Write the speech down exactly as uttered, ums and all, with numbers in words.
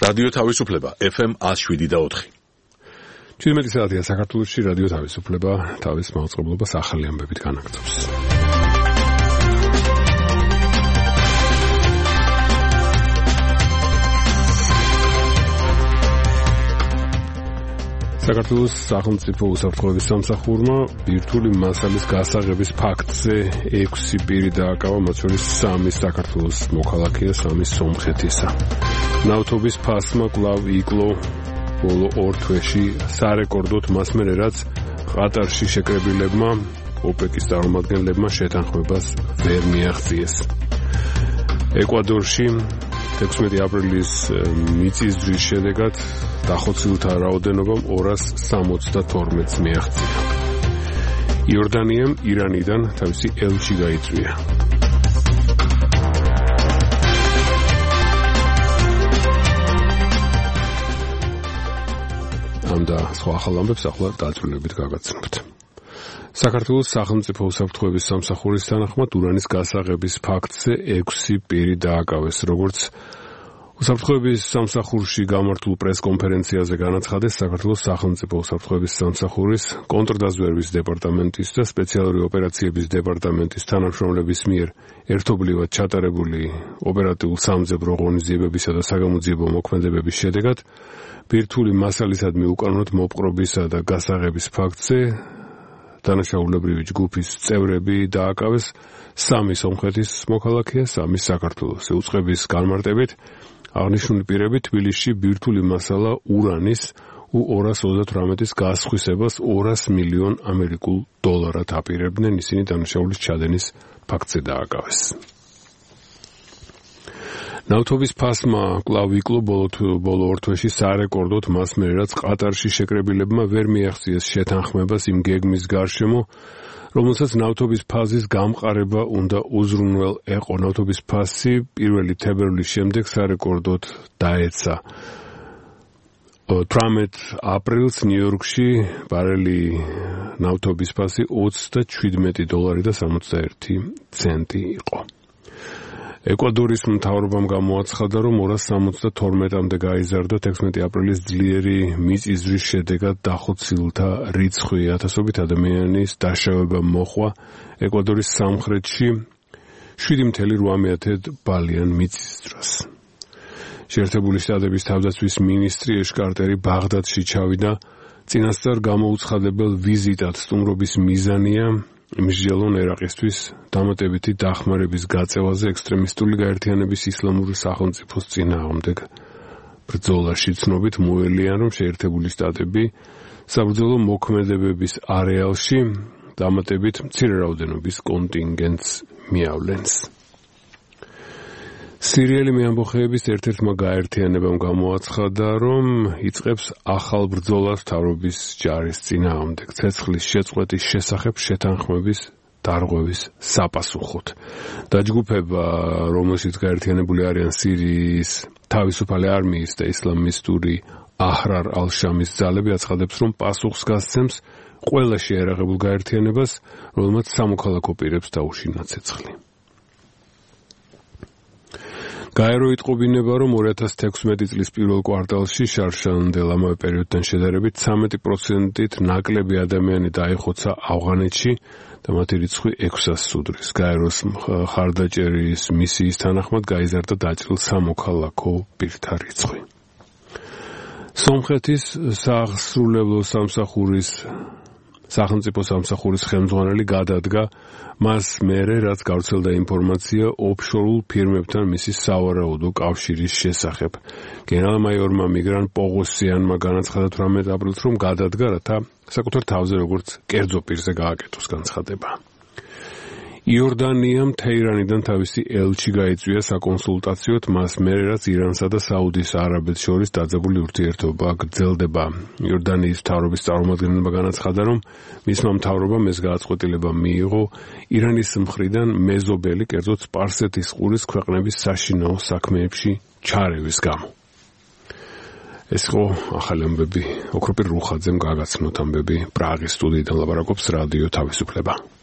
რადიო თავისუფლება F M one oh seven და four. ჩვენმეტი საათია საქართველოში რადიო თავისუფლება თავის მაუწყებლობას ახალი ამბებით განაგრძობს. საქართველოს სახელმწიფო უსაფრთხოების სამსახურმა ბირთვული მასალის გასაღების ფაქტზე ექვსი პირი დააკავა, მათ შორის სამი საქართველოს მოქალაქეა, სამი სომხეთისა. ნავთობის ფასმა კვლავ იკლო ბოლო ორ თვეში სარეკორდოდ მას მერე, რაც ყატარში შეკრებილებმა ოპეკის წარმომადგენლებმა შეთანხმებას ვერ მიაღწიეს. ეკვადორში თექვსმეტი აპრილის მიწისძვრის შედეგად დახოცილთა რაოდენობამ ორას სამოცდათორმეტს მიაღწია. იორდანიამ ირანიდან თავისი ელჩი გაიწვია. ამ და სხვა ახალ ამბებს ახლა დაწვრილებით გაგაცნობთ. საქართველოს სახელმწიფო უსაფრთხოების სამსახურის თანახმად ურანის გასაღების ფაქტზე ექვსი პირი დააკავეს, როგორც უსაფრთხოების სამსახურში გამართულ პრესკონფერენციაზე განაცხადეს საქართველოს სახელმწიფო უსაფრთხოების სამსახურის კონტრდაზვერვის დეპარტამენტის და სპეციალური ოპერაციების დეპარტამენტის თანამშრომლების მიერ ერთობლივად ჩატარებული ოპერატიულ-სამძებრო ღონისძიებებისა და საგამოძიებო მოქმედებების შედეგად ბირთვული მასალისადმი უკანონოდ მოპყრობისა და გასაღების ფაქტზე დანაშაულებრივი ჯგუფის წევრები დააკავეს, სამი სომხეთის მოქალაქეა, სამი საქართველოს. უწყების განმარტებით აღნიშნული პირები თბილისში ბირთვული მასალა ურანის U ორას ოცდათვრამეტის გასხვისებას ორას მილიონ ამერიკულ დოლარად აპირებდნენ, ისინი დანაშაულის ჩადენის ფაქტზე დააკავეს. ნავთობის ფასმა კვლავ იკლო ბოლო ორ თვეში სარეკორდოდ მას მერე, რაც ყატარში შეკრებილებმა ვერ მიაღწიეს შეთანხმებას იმ გეგმის გარშემო, რომელსაც ნავთობის ფაზის გამყარება უნდა უზრუნველ ეყო. ნავთობის ფასი პირველი თებერვლის შემდეგ სარეკორდოდ დაეცა. თვრამეტ აპრილს ნიუ-იორკში ბარელი ნავთობის ფასი ოცდაჩვიდმეტი დოლარი და სამოცდაერთი ცენტი იყო. ეკვადორის მთავრობამ გამოაცხადა, რომ ორას სამოცდათორმეტამდე გაიზარდა თექვსმეტი აპრილის ძლიერი მიწისძვრის შედეგად დახოცილთა რიცხვი. ათასობით ადამიანის დაშავება მოჰყვა ეკვადორის სამხრეთში შვიდი მცდარი რვამეათედ ბალიან მიწისძვრას. შეერთებული შტატების თავდაცვის მინისტრი ეშ კარტერი ბაღდადში ჩავიდა. წინასწარ გამოუცხადებელ ვიზიტად სტუმრობის მიზანია მსჯელონ ერაყისთვის დამატებითი დახმარების გაწევაზე ექსტრემისტული გაერთიანების ისლამური სახელმწიფოს წინააღმდეგ ბრძოლაში. ცნობით მოელიან, რომ შეერთებული შტატები საბრძოლო მოქმედებების არეალში დამატებით მცირე რაოდენობის კონტინგენტს მიავლენს. სირიელი მეამბოხეების ერთ-ერთმა გაერთიანებამ გამოაცხადა, რომ იწყებს ახალ ბრძოლას მთავრობის ჯარის წინააღმდეგ ცეცხლის შეწყვეტის შესახებ შეთანხმების დარღვევის საპასუხოდ. დაჯგუფება, რომელშიც გაერთიანებული არიან სირიის თავისუფალი არმიის და ისლამისტური აჰრარ ალ-შამის ძალები, აცხადებს, რომ პასუხს გასცემს ყველა შეიარაღებულ გაერთიანებას, რომელმაც სამოქალაქო პირებს დაუშინა ცეცხლი. გაერო იტყობინება, რომ ორი ათას თექვსმეტი წლის პირველ კვარტალში შარშანდელ ამავე პერიოდთან შედარებით ცამეტი პროცენტით ნაკლები ადამიანი დაიხოცა ავღანეთში და მათი რიცხვი ექვსას სუდრის. გაეროს მხარდაჭერის მისიის თანახმად გაიზარდა დაჭრილ სამოქალაქო პირთა რიცხვი. სომხეთის სასრულებლო სამსახურის სახელმწიფო სამსახურის ხელმძღვანელი გადადგა მას მერე, რაც გავრცელდა ინფორმაცია ოფშორულ ფირმებთან მისი სავარაუდო კავშირის შესახებ. გენერალ-მაიორმა მიგრან პოღოსიანმა განაცხადა თვრამეტ აპრილს, რომ გადადგა, რათა საკუთარ თავზე როგორც კერძო პირზე გააკეთოს განცხადება. იორდანიამ თეირანიდან თავისი ელჩი გაიწვია საკონსულტაციოდ მას მერე, რაც ირანსა და საუდის არაბეთს შორის დაძაბული ურთიერთობა გრძელდება. იორდანიის მთავრობის წარმომადგენელმა განაცხადა, რომ მისმა მთავრობამ ეს გააწყვეტილება მიიღო ირანის მხრიდან მეზობელი, კერძოდ სპარსეთის ყურის ქვეყნების საშინაო საქმეებში ჩარევის გამო. ეს იყო ახალი ამბები. ოქროპირ რუხაძემ გაგაცნოთ ამბები პრაღის სტუდიიდან ლაპარაკობს რადიო თავისუფლება.